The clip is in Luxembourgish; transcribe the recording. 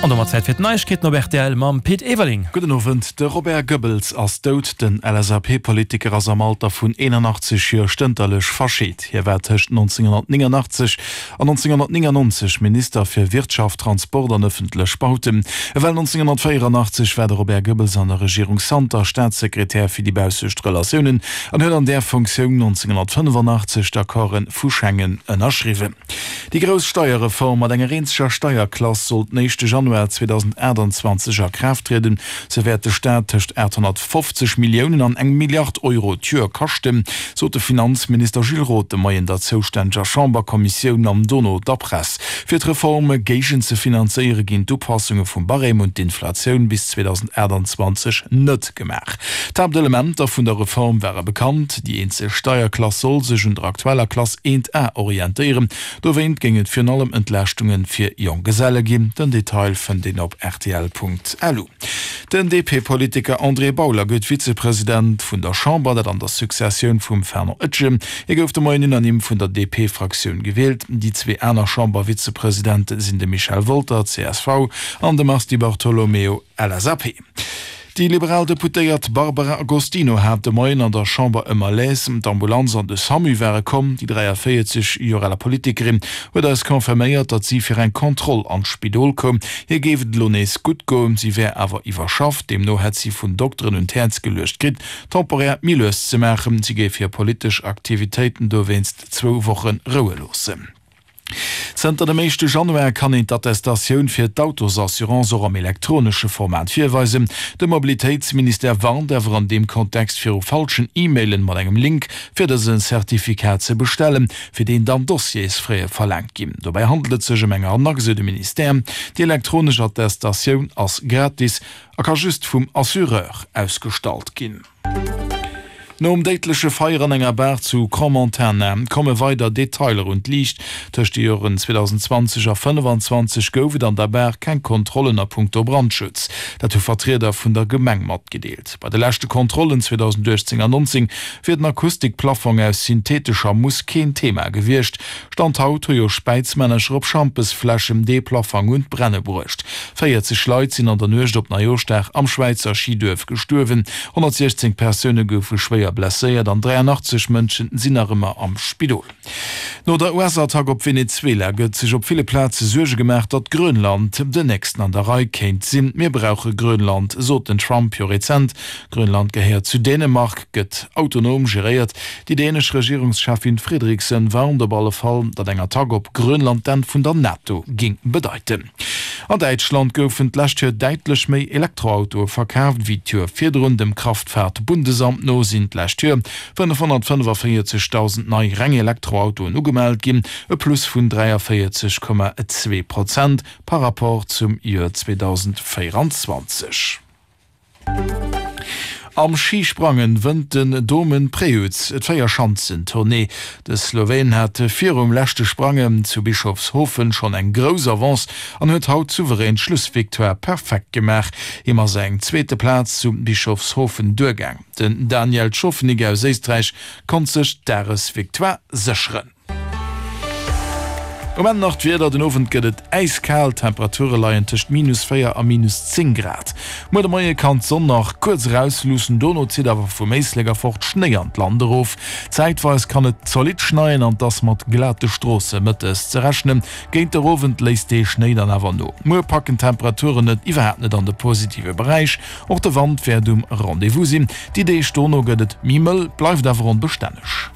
An domat Zäit fir d'Neiegkeeten op rtl mam Pit Everling. Gudden Owend. De Robert Goebbels ass dout. Den LSAP-Politiker ass am Alter vun 81 Joer stënterlech verscheet. Hie war tëscht 1989 an 1999 Minister fir Wirtschaft, Transport an ëffentlech Bauten. Ewell 1984 war de Robert Goebbels an der Regierung Santer Staatssekretär fir déi baussescht Relatiounen an huet an där Funktioun 1985 d'Accorde vu Schengen ënnerschriwwen. Déi grouss Steierreform mat enger eenzeger Steierklass soll den éischte Januar 2028 a Kraaft trieden. Se wäert de Staat tëscht 850 Milliounen an eng Milliard Euro d'Joer kaschten, sot de Finanzminister Gilles Roth de Moien der zoustänneger Chamberkommissioun an dono der Press. Fir d'Reform géigenzefinanzéiere ginn d'Upassunge vum Barème un d'Inflatioun bis 2028 net gemaach. D'Haaptelementer vun der Reform ware bekannt, Déi eenzeg Steierklass soll sech un der aktueller Klass 1A orientéieren. Dowéint géing et virun allem Entlaaschtunge fir Jonggeselle ginn. Den Detail fënnt een op rtl.lu. Den DP-Politiker André Bauler gëtt Vizepresident vun der Chamber, dat an der Successioun vum Fernand Etgen. Hie gouf de Moien unanime vun der DP-Fraktioun gewielt. Déi zwee aner Chamber-Vizepresidente sinn de Michel Wolter, csv, an de Mars Di Bartolomeo, LSAP. Déi liberal Deputéiert Barbara Agostino hat de Moien an der Chamber e Malaise. D'Ambulanz an de Samu ware komm. Déi 43 Joer aler Politikerin huet eis confirméiert, datt si fir eng Kontroll an d'Spidol koum. Hir géif et elo nees gutt goen, si wär awer iwwerschafft. Deemno hätt si vun Dokteren un d'Häerz geluecht kritt, temporär méi lues ze maachen. Si géif hir politesch Aktivitéiten dowéinst zwou Woche roue loossen. Zënter dem éischte Januar kann een d'Attestatioun fir d'Autosassurance och am elektronesche Format virweisen. De Mobilitéitsministère warnt awer an deem Kontext viru falschen E-Mailen mat engem Link, fir dëse Certificat ze bestellen, fir deen dann Dossiersfraie verlaangt ginn. Dobäi handelt et sech ëm eng Arnaque, sou de Ministère. Déi elektronesch Attestatioun ass gratis a ka just vum Assureur ausgestallt ginn. Nom déidleche Feier an enger Bar zu Crans-Montana komme weider Detailer un d'Liicht. Tëscht de Joren 2020 a 25 gouf et an der Bar keng Kontrollen a punkto Brandschutz. Dat hu Vertrieder vun der Gemeng matgedeelt. Bei de leschte Kontrollen 2018 an 19 wier den Akustikplaffong aus synthetescher Mousse keen Thema gewiescht. Stand haut hu jo Späizmännercher op Schampesfläschen dee Plaffang un d'Brenne bruecht. 40 Leit sinn an der Nuecht op Neijooschdag am Schwäizer Schiduerf gestuerwen, 116 Persoune goufe schwéier blesséiert an 83 Mënschen sinn nach ëmmer am Spidol. No der US-Attack op Venezuela gëtt sech op ville Plaze Suerge gemaach, datt Grönland den nächsten an der Rei kéint sinn. Mir brauche Grönland, sot den Trump jo rezent. Grönland gehéiert zu Dänemark, gëtt autonom geréiert. Déi dänesch Regierungscheffin Frederiksen warnt op alle Fall, datt eng Attack op Grönland d'Enn vun der NATO géing bedeiten. An Däitschland goufen d'lescht Joer däitlech méi Elektroautoe verkaaft wéi d'Joer virdrun. Dem Kraftfahrt-Bundesamt no sinn d'lescht Joer 545.000 nei reng Elektroautoen ugemellt ginn, e Plus vun 43,2 Prozent par Rapport zum Joer 2024. Am Schisprangen wënnt den Domen Prevc d'Véierschanzentournée. De Sloween hat virum leschte Sprangen zu Bischofshofen schonn eng grouss Avance an huet haut souverän d'Schlussvictoire perfekt gemaach. Him ass eng zweete Plaz zu Bischofshofen duergaang. Den Daniel Tschofenig aus Éisträich konnt sech d'Dagesvictoire sécheren. Um Enn nach d'Wieder, Den Owend gëtt et äiskal, d'Temperature leien tëscht minus 4 a minus 10 Grad. Muer de Moie kann d'Sonn nach kuerz erausluussen, dono zitt awer vum Éislek erfort Schnéi an d'Land erof. Zäitweis kann et zolidd schneien an 't ass mat glate Stroosse mëttes ze rechnen. Géint der Owend léisst dee Schnéi dann awer no. Muer packen d'Temperaturen et iwwerhaapt net an de positive Beräich, och de Wand wäert um Rendez-vous sinn. Déi Deeg dono gëtt et méi mëll, bleift awer onbestänneg.